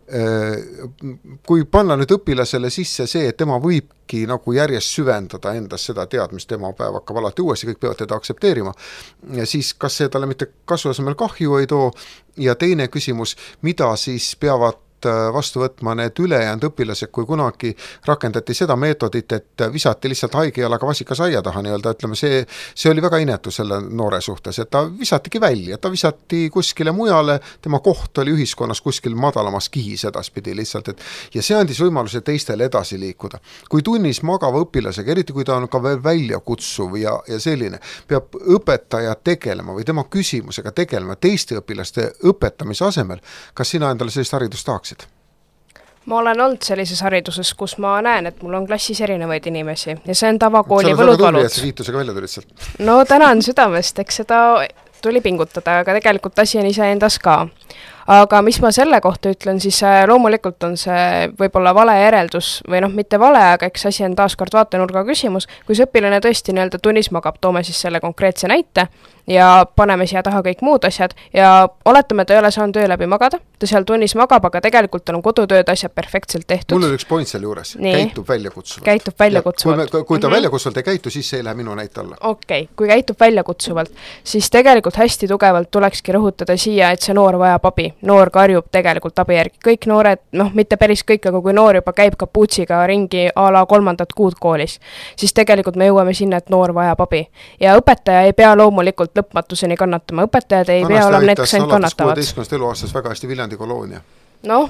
kui panna nüüd õpilasele sisse see, et tema võibki nagu järjest süvendada endas seda teadmist, tema päev hakkab alati uuesti, kõik peavad teda aktsepteerima, siis kas see talle mitte kasvu asemel kahju ei too ja teine küsimus, mida siis peavad vastu võtma need ülejäänud õpilased, kui kunagi rakendati seda meetodit, et visati lihtsalt haige jalaga vasikas aia taha nii-öelda, ütleme, see oli väga inetu selle noore suhtes, et ta visatigi välja, ta visati kuskile mujale, tema koht oli ühiskonnas kuskil madalamas kihis edaspidi lihtsalt, ja see andis võimaluse teistele edasi liikuda. Kui tunnis magava õpilasega, eriti kui ta on ka veel väljakutsuv ja selline, peab õpetaja tegelema või tema küsimusega tegelema teiste õpilaste õpetamise asemel, kas sina endale sellist haridust tahaksid? Ma olen olnud sellises hariduses, kus ma näen, et mul on klassis erinevaid inimesi ja see on tavakooli võlud-valud. Sa kiitusega välja tulid sealt. No tänan südamest, eks seda tuli pingutada, aga tegelikult asi on ise endas ka. Aga mis ma selle kohta ütlen, siis loomulikult on see võib-olla vale järeldus või mitte vale, aga eks asi on taaskord vaatenurga küsimus, kui see õpilane tõesti nii-öelda tunnis magab, toome siis selle konkreetse näite ja paneme siia taha kõik muud asjad ja oletame, ta ei ole saanud öö läbi magada, ta seal tunnis magab, aga tegelikult on kodutööd asjad perfektselt tehtud. Mul oli üks point selle juures, käitub väljakutsuvalt. Käitub väljakutsuvalt. Kui ta väljakutsuvalt ei käitu, siis see ei lähe minu näite alla. Okei, kui käitub väljakutsuvalt, siis tegelikult hästi tugevalt tulekski rõhutada siia, et see noor vajab abi. Noor karjub tegelikult abi järgi. Kõik noored, mitte päris kõik, aga kui noor juba käib kapuutsiga ringi a la 3. kuud koolis, siis tegelikult me jõuame sinna, et noor vajab abi. Ja õpetaja ei pea loomulikult lõpmatuseni kannatama. Õpetajad ei pea olema need, kes ainult kannatavad. 16. eluaastas väga hästi Viljandi koloonia.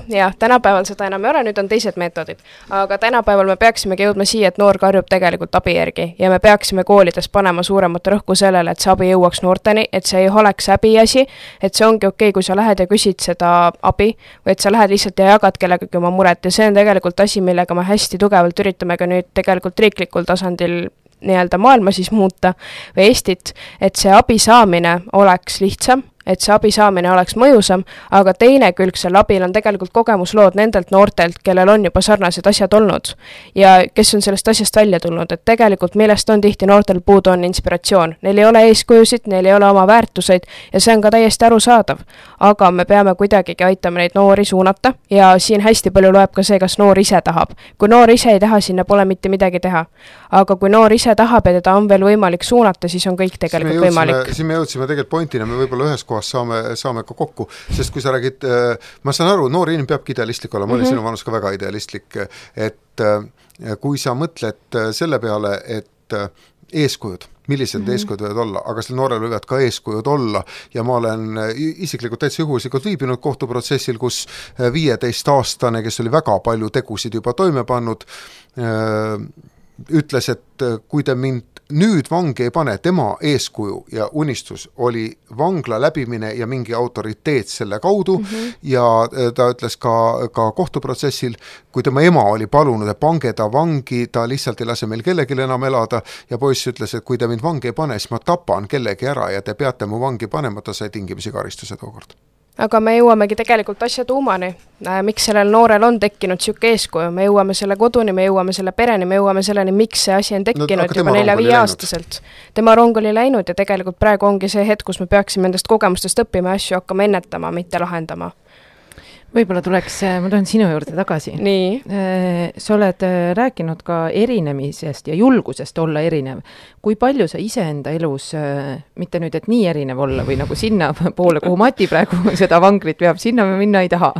Jah, tänapäeval seda enam ei ole, nüüd on teised meetodid. Aga tänapäeval me peaksimegi jõudma siia, et noor karjub tegelikult abi järgi ja me peaksime koolides panema suuremat rõhku sellele, et see abi jõuaks noorteni, et see ei oleks häbiasi, et see ongi okei, kui sa lähed ja küsid seda abi või et sa lähed lihtsalt ja jagad kellegagi oma muret ja see on tegelikult asi, millega me hästi tugevalt üritame ka nüüd tegelikult riiklikul tasandil nii-öelda maailma siis muuta või Eestit, et see abi saamine oleks lihtsam, et see abi saamine oleks mõjusam, aga teine külg selle abil on tegelikult kogemuslood nendelt noortelt, kellel on juba sarnased asjad olnud ja kes on sellest asjast välja tulnud, et tegelikult millest on tihti noortel puudu on inspiratsioon. Neil ei ole eeskujusid, neil ei ole oma väärtuseid ja see on ka täiesti arusaadav. Aga me peame kuidagigi aitama neid noori suunata ja siin hästi palju loeb ka see, kas noor ise tahab. Kui noor ise ei taha, sinna pole mitte midagi teha. Aga kui noor ise tahab ja teda on veel võimalik suunata, siis on kõik tegelikult võimalik. Siin me jõudsime tegelikult pointina, me võib-olla ühes kohas saame ka kokku, sest kui sa räägid, ma saan aru, noor inimene peabki idealistlik olla, ma olin sinu vanus ka väga idealistlik, et kui sa mõtled selle peale, et eeskujud, millised eeskujud võivad olla, aga sel noorel võivad ka eeskujud olla ja ma olen isiklikult täitsa juhuslikult viibinud kohtuprotsessil, kus 15-aastane, kes oli väga palju tegusid juba toime pannud, ütles, et kui te mind nüüd vangi ei pane, tema eeskuju ja unistus oli vangla läbimine ja mingi autoriteet selle kaudu ja ta ütles ka kohtuprotsessil, kui tema ema oli palunud, et pange ta vangi, ta lihtsalt ei lase meil kellelegi enam elada ja poiss ütles, et kui te mind vangi ei pane, siis ma tapan kellegi ära ja te peate mu vangi panema, ta sai tingimisi karistuse tookord. Aga me jõuamegi tegelikult asja tuumani, miks sellel noorel on tekkinud siuke eeskuju, me jõuame selle koduni, me jõuame selle pereni, me jõuame selleni, miks see asi on tekkinud juba 4-5 aastaselt. Tema rong oli läinud ja tegelikult praegu ongi see hetk, kus me peaksime endast kogemustest õppima asju hakkama ennetama, mitte lahendama. Võib-olla tuleks, ma tulen sinu juurde tagasi. Nii. Sa oled rääkinud ka erinemisest ja julgusest olla erinev. Kui palju sa iseenda elus, mitte nüüd, et nii erinev olla või nagu sinna poole, kuhu Mati praegu seda vangrit peab, sinna me minna ei taha.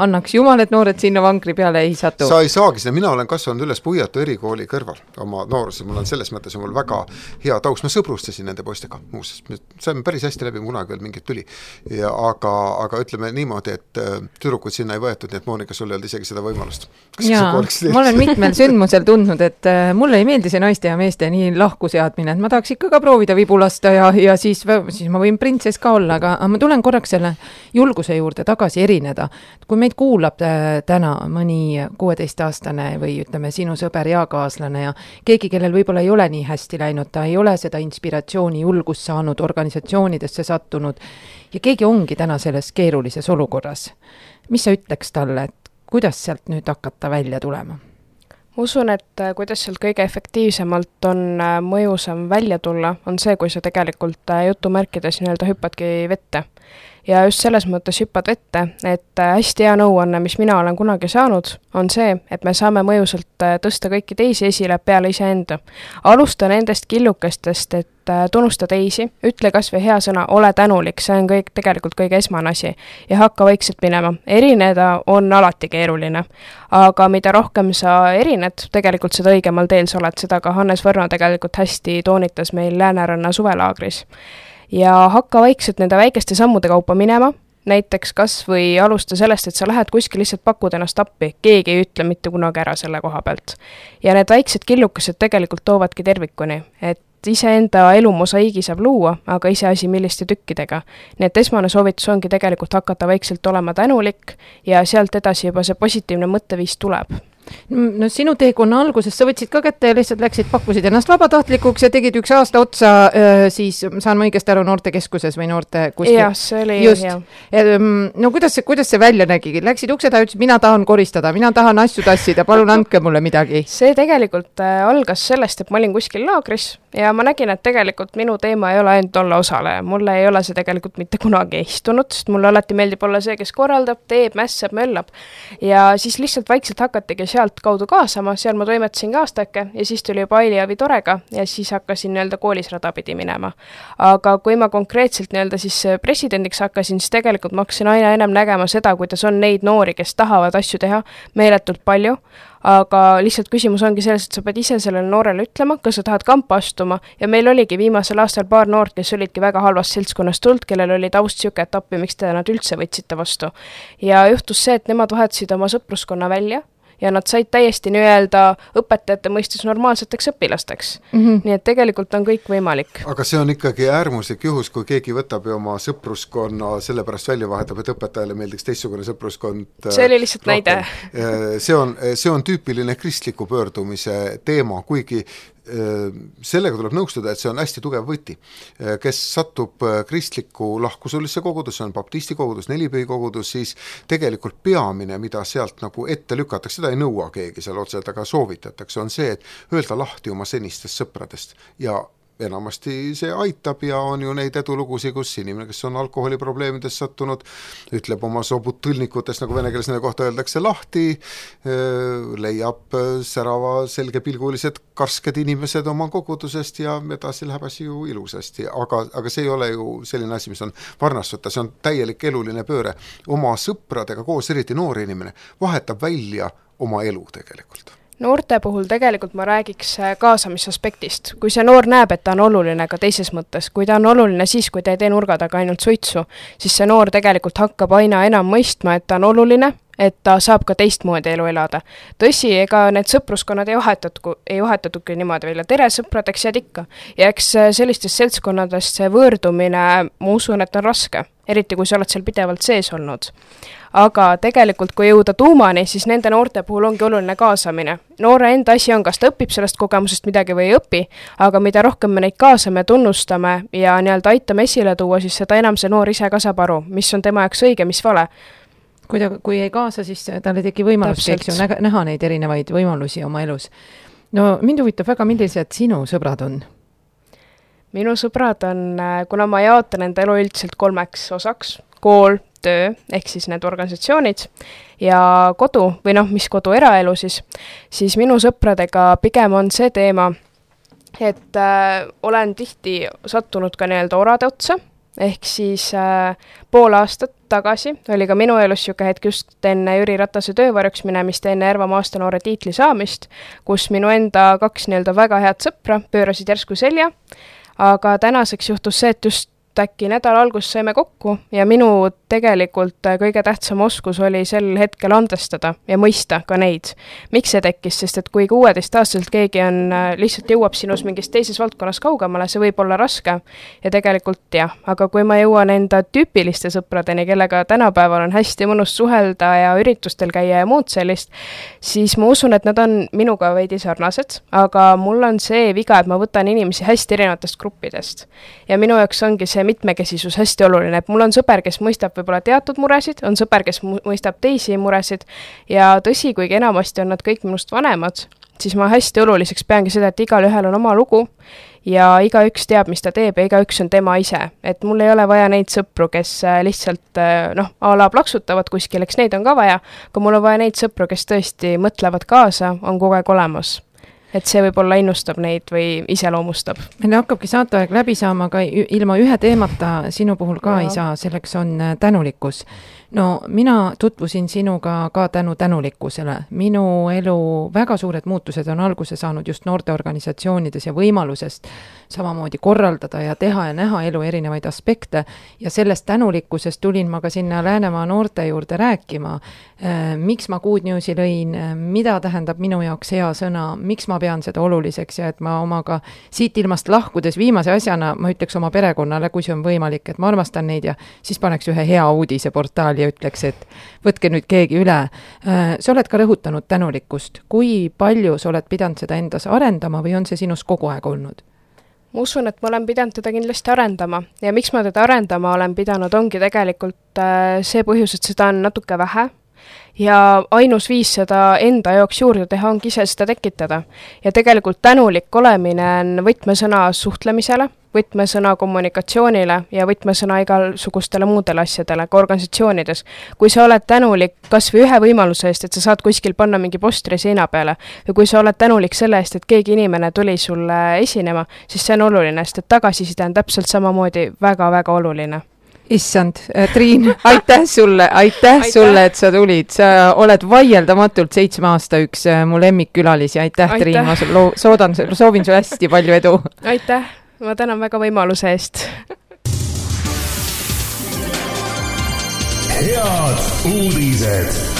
Annaks jumal, et noored sinna vangri peale ei satu. Sa ei saagi seda, mina olen kasvanud üles Puiatu erikooli kõrval oma nooruses, mul on selles mõttes mul väga hea taust, ma sõbrustasin nende poistega muuses, me saime päris hästi läbi, kunagi veel mingit tüli, aga ütleme niimoodi, et tüdrukud sinna ei võetud, nii et Moonika, sul ei olnud isegi seda võimalust. Jaa, ma olen mitmel sündmusel tundnud, et mulle ei meeldi see naiste ja meeste nii lahku seadmine, et ma tahaks ikka ka proovida vibulasta ja siis ma võin printsess ka olla, aga ma tulen korraks selle julguse juurde tagasi erineda. Kui meid kuulab täna mõni 16-aastane või ütleme sinu sõber ja kaaslane ja keegi, kellel võib-olla ei ole nii hästi läinud, ta ei ole seda inspiratsiooni julgust saanud, organisatsioonidesse sattunud ja keegi ongi täna selles keerulises olukorras. Mis sa ütleks talle, et kuidas sealt nüüd hakata välja tulema? usun, et kuidas sealt kõige efektiivsemalt on mõjusam välja tulla, on see, kui sa tegelikult jutumärkides nii-öelda hüppadki vette. Ja just selles mõttes hüppad vette, et hästi hea nõuanne, mis mina olen kunagi saanud, on see, et me saame mõjusalt tõsta kõiki teisi esile peale iseenda. Alusta nendest killukestest, et tunnusta teisi, ütle kas või hea sõna, ole tänulik, see on tegelikult kõige esmane asi ja hakka vaikselt minema. Erineda on alati keeruline, aga mida rohkem sa erined, tegelikult seda õigemal teel sa oled, seda ka Hannes Võrno tegelikult hästi toonitas meil Lääneranna suvelaagris. Ja hakka vaikselt nende väikeste sammude kaupa minema, näiteks kas või alusta sellest, et sa lähed kuskil lihtsalt pakud ennast appi, keegi ei ütle mitte kunagi ära selle koha pealt. Ja need väiksed killukesed tegelikult toovadki tervikuni, et iseenda elumosaiigi saab luua, aga iseasi milliste tükkidega. Nii et esmane soovitus ongi tegelikult hakata vaikselt olema tänulik ja sealt edasi juba see positiivne mõtteviis tuleb. No sinu teekonna alguses sa võtsid ka kätte ja lihtsalt läksid, pakkusid ennast vabatahtlikuks ja tegid 1 aasta otsa siis, saan ma õigesti aru, noortekeskuses või noorte kuskil? Jah, see oli hea. No kuidas see välja nägi? Läksid ukse taha ja ütlesid, mina tahan koristada, mina tahan asju tassida, palun andke mulle midagi. See tegelikult algas sellest, et ma olin kuskil laagris ja ma nägin, et tegelikult minu teema ei ole ainult olla osaleja. Mulle ei ole see tegelikult mitte kunagi istunud, sest mulle alati meeldib olla see, kes korraldab, teeb, mässab, möllab. Ja siis lihtsalt vaikselt hakatigi sealt kaudu kaasama, seal ma toimetasin ka aastake ja siis tuli juba Aili Avi Torega ja siis hakkasin nii-öelda koolis radapidi minema. Aga kui ma konkreetselt nii-öelda siis presidendiks hakkasin, siis tegelikult ma hakkasin aina enam nägema seda, kuidas on neid noori, kes tahavad asju teha meeletult palju, aga lihtsalt küsimus ongi selles, et sa pead ise sellele noorele ütlema, kas sa tahad kampa astuma ja meil oligi viimasel aastal paar noort, kes olidki väga halvast seltskonnast tulnud, kellel oli taust siuke, et appi, miks te nad üldse võtsite vastu. Ja juhtus see, et nemad vahetasid oma sõpruskonna välja ja nad said täiesti nii-öelda õpetajate mõistes normaalseteks õpilasteks. Nii et tegelikult on kõik võimalik. Aga see on ikkagi äärmuslik juhus, kui keegi võtab ja oma sõpruskonna sellepärast välja vahetab, et õpetajale meeldiks teistsugune sõpruskond. See oli lihtsalt näide. See on tüüpiline kristliku pöördumise teema, kuigi sellega tuleb nõustuda, et see on hästi tugev võti. Kes satub kristliku lahkusulisse kogudus, see on baptisti kogudus, nelipühi kogudus, siis tegelikult peamine, mida sealt nagu ette lükatakse, seda ei nõua keegi seal otseselt, aga soovitatakse, on see, et öelda lahti oma senistest sõpradest ja enamasti see aitab ja on ju neid edulugusi, kus inimene, kes on alkoholiprobleemides sattunud, ütleb oma sobud tõlnikutest, nagu vene keeles nende kohta öeldakse, lahti, leiab särava selgepilgulised karsked inimesed oma kogudusest ja edasi läheb asi ju ilusasti, aga see ei ole ju selline asi, mis on varnasvõtta, see on täielik eluline pööre. Oma sõpradega koos, eriti noor inimene, vahetab välja oma elu tegelikult. Noorte puhul tegelikult ma räägiks kaasamisaspektist. Kui see noor näeb, et ta on oluline ka teises mõttes, kui ta on oluline siis, kui ta ei tee nurga taga ainult suitsu, siis see noor tegelikult hakkab aina enam mõistma, et ta on oluline, et ta saab ka teistmoodi elu elada. Tõsi, ega need sõpruskonnad ei vahetatuki niimoodi välja. Tere, sõpradeks jääd ikka. Ja eks sellistest seltskonnadest see võõrdumine, ma usun, et on raske. Eriti kui sa oled seal pidevalt sees olnud. Aga tegelikult, kui jõuda tuumani, siis nende noorte puhul ongi oluline kaasamine. Noore enda asi on, kas ta õpib sellest kogemusest midagi või ei õpi, aga mida rohkem me neid kaasame, tunnustame ja nii-öelda aitame esile tuua, siis seda enam see noor ise ka saab aru, mis on tema jaoks õige, mis vale. Kui ei kaasa, siis talle teki võimalus näha neid erinevaid võimalusi oma elus. No mind huvitab väga, millised sinu sõbrad on? Minu sõbrad on, kuna ma jaotan enda elu üldiselt 3 osaks, kool, töö, ehk siis need organisatsioonid ja kodu või mis kodu eraelu siis minu sõpradega pigem on see teema, et olen tihti sattunud ka nii-öelda orade otsa, ehk siis pool aastat tagasi oli ka minu elus siuke hetk just enne Jüri Ratase töövarjuks minemist, enne Järvamaa aastanoore tiitli saamist, kus minu enda 2 nii-öelda väga head sõpra pöörasid järsku selja, aga tänaseks juhtus see, et just äkki nädala algus saime kokku ja minu tegelikult kõige tähtsam oskus oli sel hetkel andestada ja mõista ka neid. Miks see tekkis, sest et kui 16-aastaselt keegi on lihtsalt jõuab sinus mingis teises valdkonnas kaugemale, see võib olla raske ja tegelikult jah, aga kui ma jõuan enda tüüpiliste sõpradeni, kellega tänapäeval on hästi mõnus suhelda ja üritustel käia ja muud sellist, siis ma usun, et nad on minuga veidi sarnased, aga mul on see viga, et ma võtan inimesi hästi erinevatest gruppidest ja minu jaoks ongi see mitmekesisus hästi oluline, et mul on sõber, kes mõistab võib-olla teatud muresid, on sõber, kes mõistab teisi muresid ja tõsi, kuigi enamasti on nad kõik minust vanemad, siis ma hästi oluliseks peangi seda, et igal ühel on oma lugu ja igaüks teab, mis ta teeb ja igaüks on tema ise. Et mul ei ole vaja neid sõpru, kes lihtsalt a la plaksutavad kuskil, eks neid on ka vaja, aga mul on vaja neid sõpru, kes tõesti mõtlevad kaasa, on kogu aeg olemas. Et see võib-olla innustab neid või iseloomustab. Meil hakkabki saateaeg läbi saama, aga ilma ühe teemata sinu puhul ka ei saa, selleks on tänulikkus. No mina tutvusin sinuga ka tänulikkusele. Minu elu väga suured muutused on alguse saanud just noorteorganisatsioonides ja võimalusest samamoodi korraldada ja teha ja näha elu erinevaid aspekte ja sellest tänulikkusest tulin ma ka sinna Läänemaa noorte juurde rääkima, miks ma Good Newsi lõin, mida tähendab minu jaoks hea sõna, miks ma pean seda oluliseks ja et ma omaga siit ilmast lahkudes viimase asjana ma ütleks oma perekonnale, kui see on võimalik, et ma armastan neid ja siis paneks ühe hea uudise portaali ja ütleks, et võtke nüüd keegi üle. Sa oled ka rõhutanud tänulikkust. Kui palju sa oled pidanud seda endas arendama või on see sinus kogu aeg olnud? Ma usun, et ma olen pidanud teda kindlasti arendama ja miks ma teda arendama olen pidanud, ongi tegelikult see põhjus, et seda on natuke vähe ja ainus viis seda enda jaoks juurde teha ongi ise seda tekitada. Ja tegelikult tänulik olemine on võtmesõna suhtlemisele, võtmesõna kommunikatsioonile ja võtmesõna igasugustele muudele asjadele, ka organisatsioonides. Kui sa oled tänulik kas või ühe võimaluse eest, et sa saad kuskil panna mingi postri seina peale, või kui sa oled tänulik selle eest, et keegi inimene tuli sulle esinema, siis see on oluline, sest et tagasiside on täpselt samamoodi väga-väga oluline. Issand, Triin, aitäh sulle, et sa tulid. Sa oled vaieldamatult 7 aasta üks mu lemmikkülalisi. Aitäh. Triin, ma soovin sulle hästi palju edu. Aitäh, ma tänan väga võimaluse eest. Head uudised.